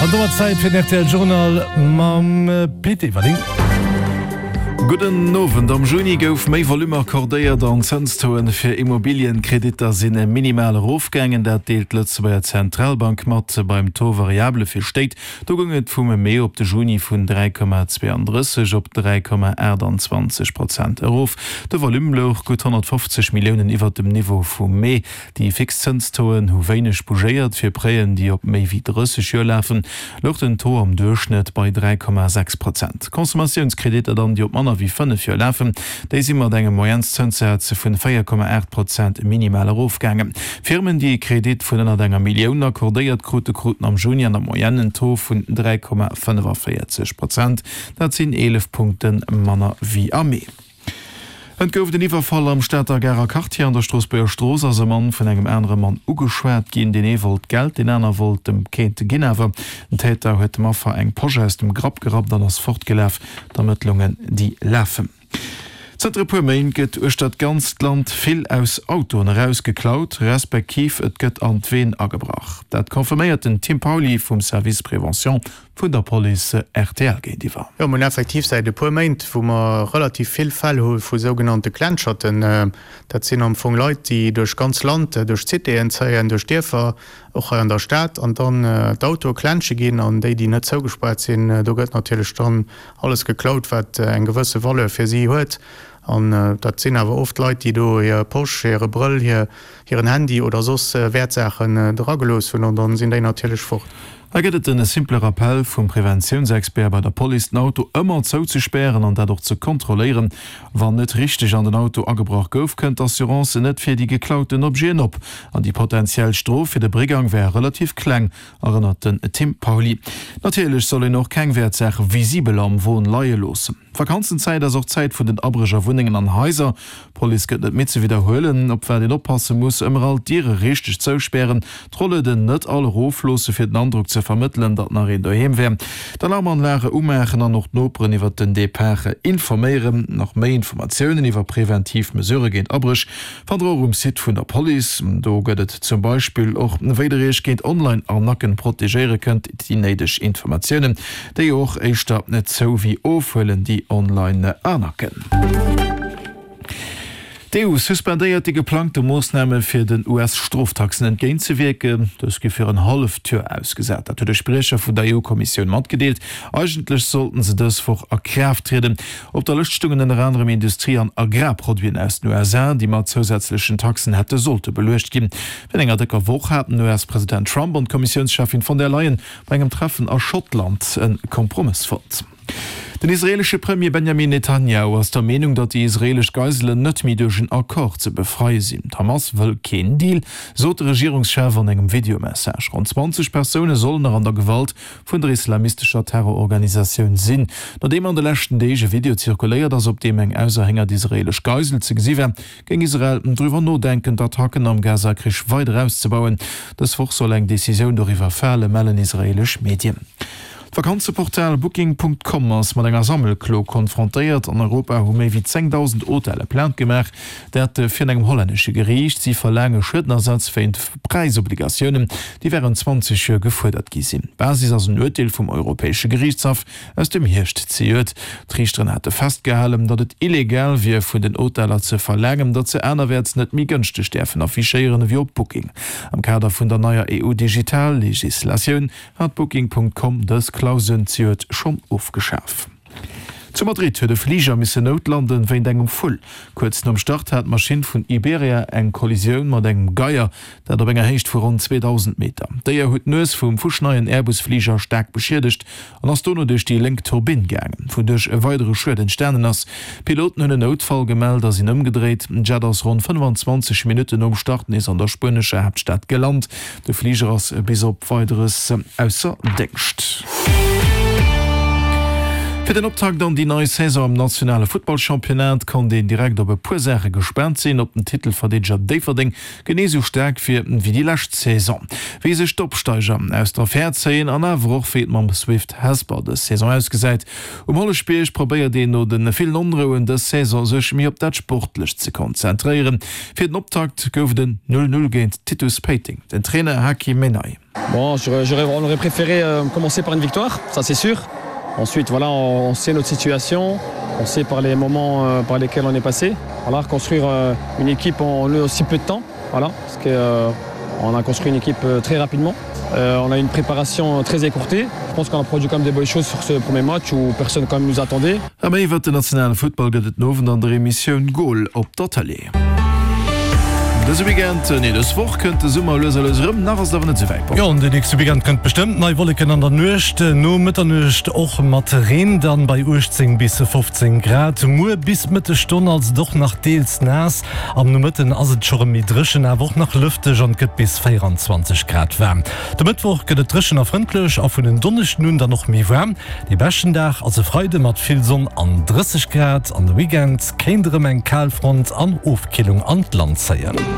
An domat Zäit fir den rtl Journal mam Pit Everling. Gudden Owend. Am Juni gouf méi Volume accordéiert an d'Zënstauxen fir Immobilienkreditter sinn minimal erofgaangen. Dat deelt d'Lëtzebuerger Zentralbank mat. Beim Taux variable fir Stéit, do goung et vum Mee op de Juni vun 3,32 op 3,28 Prozent erof. De Volume louch gutt 150 Milliounen iwwert dem Niveau vum Mee. Déi fix Zënstauxen hu wéineg bougéiert. Fir Prêten, déi op méi wéi 30 Joer lafen, louch den Taux am Duerchschnëtt bei 3,6 Prozent. Consommatiounskrediter dann, déi op manner wéi 5 Joer lafen, déi si mat engem Moyennszënssaz vun 4,8 Prozent minimal erofgaangen. Firmen, déi e Kredit vun ënnert enger Millioun accordéiert krute, kruten am Juni an der Moyenne en Taux vun 3,45 Prozent. Dat sinn 11 Punkte manner wéi am Mee. Et gouf den Iwwerfall am Stater Garer Quartier. An der Stroossbuerger Strooss ass e Mann vun engem anere Mann ugeschwat ginn. Deen ee wollt Geld, deen aner wollt em keent ginn. Awer den Täter huet dem Affer eng Posch aus dem Grapp gerappt an ass fortgelaf. D'Ermëttlungen, déi lafen. Zënter e puer Méint gëtt uechter d'ganzt Land vill aus Autoen erausgeklaut, respektiv et gëtt an d'Ween agebrach. Dat confirméiert den Tim Pauly vum Service Prévention Vun der Police rtl géintiwwer. Jo, mir hunn effektiv säit e puer Méint, wou mer relativ vill Fäll hu vu sougenannte Klenscherten. Dat sinn am Fong Leit, déi duerch ganz Land, duerch d'Citéen zéien, duerch d'Dierfer, och hei an der Stad, an dann d'Autoe klensche ginn. An déi, déi net zougespaart sinn, do gëtt natierlech dann alles geklaut, wat eng gewësse Valeur fir si huet. An dat sinn awer oft Leit, déi do hir Posch, hire Brëll, hiren Handy oder soss Wäertsaachen dragelooss hunn. An dann sinn déi natierlech fort. Hei gëtt et en simple Rappell vum Preventiounsexpert bei der Police, den Auto ëmmer zouzespären an dat och ze kontrolléieren. Wann net richteg an den Auto agebrach gouf, kënnt d'Assurance net fir déi geklauten Objeten op. An déi potentiell Strof fir de Brigang wär relativ kleng, erënnert den Tim Pauly. Natierlech soll een och keng Wäertsaache visibel am Won leie loossen. D'Vakanzenzäit ass och d'Zäit vun den Abréch a Wunnengen an Haiser. D'Police gëtt net midd ze widderhuelen, op wat een oppasse muss, Ëmmer all d'Diere richteg zouspären, d'Rollueden net all erofloosse fir den Androck ze vermëttelen, datt nach een doheem wär, d'Alarmanlage umaachen an och d'Noperen iwwer den Depart informéieren. Nach méi Informatiounen iwwer preventiv Mesurë géint Abréch Fannt der och um Site vun der Police. Do gëtt et zum Beispill och, wéi der iech géint Online-Arnacken protegéiere kënnt, déi néideg Informatiounen, déi jo och éischter zou wéi ofhuelen, déi Online-Arnacken. D'EU suspendéiert déi geplangte Moossname fir den US-Stroftaxen entgéintzewierken. Dës gi fir en halleft Joer ausgesat. Dat huet e Spriecher vun der EU-Kommissioun matgedeelt. Eigentlech sollten se dës Woch a Kraaft trieden. Op der Lëscht stungen ënner anerem Industrie an Agrarproduiten aus den USA, déi mat zousätzlechen Taxen hätte sollte beluecht ginn. Virun enger dëcker Woch haten den US-President Trump an d'Kommissiounscheffin von der Leyen bei engem Treffen a Schottland e Kompromëss fonnt. Den israeelesche Premier Benjamin Netanjahu ass der Meenung, datt déi israeelesch Geiselen net méi duerch en Accord ze befreie sinn. D'Hamas wëll keen Deal, sot de Regierungschef an engem Videomessage. Ronn 20 Persoune sollen nach an der Gewalt vun der islamistescher Terrororganisatioun sinn. Nodeem an de leschten Deeg e Video zirkuléiert ass, op deem eng auserhéngert israeelesch Geisel ze gesi war, géing Israel driwwer nodenken, d'Attacken am Gaza-Krich weider auszebauen. Dës Woch soll eng Decisioun doriwwer falen, mellen israeelesch Medien. D'Vakanzeportal Booking. Com ass mat enger Sammelklo konfrontéiert. An Europa hu méi wéi 10.000 Hotelle Plainte gemaach, dat virun engem hollännesche Geriicht. Si verlaange Schuedenersatz wéint Präisobligatiounen, déi wärend 20 Joer gefuerdert gi sinn. Basis ass en Urteel vum Europäesche Geriichtshaff aus dem Hierscht zejoert. D'Riichteren hate festgehalen, datt et illegal wier, vun den Hoteller ze verlaangen, datt se anerwäerts net méi gënschteg däerfen affichéieren ewéi op Booking. Am Kader vun der neier EU-Digital-Legislatioun hat Booking. Com dës Clausen zejoert schonn ofgeschaf. Zu Madrid huet e Fliger missen noutlanden wéint engem Vull. Kuerz nom Start hat d'Maschinn vun Iberia eng Kollisioun mat engem Geier, dat op enger Héicht vu ronn 2.000 Meter. D'Déier huet d'Nues vum fuschneien Airbus-Fliger staark beschiedegt an ass dono duerch déi lénk Turbinn gaangen, wouduerch e weidere Schued entstanen ass. D'Piloten hunn en Noutfall gemellt a sinn ëmgedréit. D'Jet ass ronn 25 Minutten nom Start nees an der spuenescher Haaptstad gelant. De Fliger ass bis op Weideres ausser Déngscht. Fir den Optakt an déi nei Saison am nationale Futtballchampionnat konnt een direkt op e puer Saache gespaant sinn, Ob den Titelverdeedeger Déifferdeng genee sou staark wier wéi déi lescht Saison, wéi sech d'Opsteiger aus der Affär zéien an awer och wéi et mam Swift Hesper dës Saison ausgesäit. Um Holleschbierg probéiert een no de villen Onrouen dës Saison sech méi op dat Sportlecht ze konzentréieren. Fir den Optakt gouf et en 0, 0 géint Titus Péiteng. Den Trainer Hakim Menai. Bon, j'aurais, on aurait préféré euh, commencer par une victoire, ça c'est sûr. Ensuite, voilà, on, on sait notre situation, on sait par les moments euh, par lesquels on est passé. Voilà, construire euh, une équipe en aussi peu de temps, voilà, parce que euh, on a construit une équipe euh, très rapidement. Euh, on a une préparation très écourtée. Je pense qu'on a produit quand même des bonnes choses sur ce premier match où personne quand même nous attendait. A méi iwwert den nationale Futtball gëtt et den Owend an der Emissioun Goal op der Tëlee. Dëse Weekend, nee dës Woch kënnt de Summer lues a lues erëm, nach ass et awer net esou wäit. Jo, an den nächste Weekend kënnt bestëmmt nei Wolleken an der Nuecht, no Mëtternuecht och mat Reen, dann bei 18 bis 15 Grad. Muer bis d'Mëttesstonn ass et och nach deels naass, am Nomëtten ass et scho rëm méi dréchen, awer och nach lëfteg an et gëtt bis 24 Grad waarm. De Mëttwoch gëtt et dréchen a frëndlech a vun en Donneschden un dann och méi waarm. Dee beschten Dag ass e Freide mat vill Sonn an 30 Grad an de Weekend kéint erëm eng Kalfront an Ofkillung an d'Land zéien.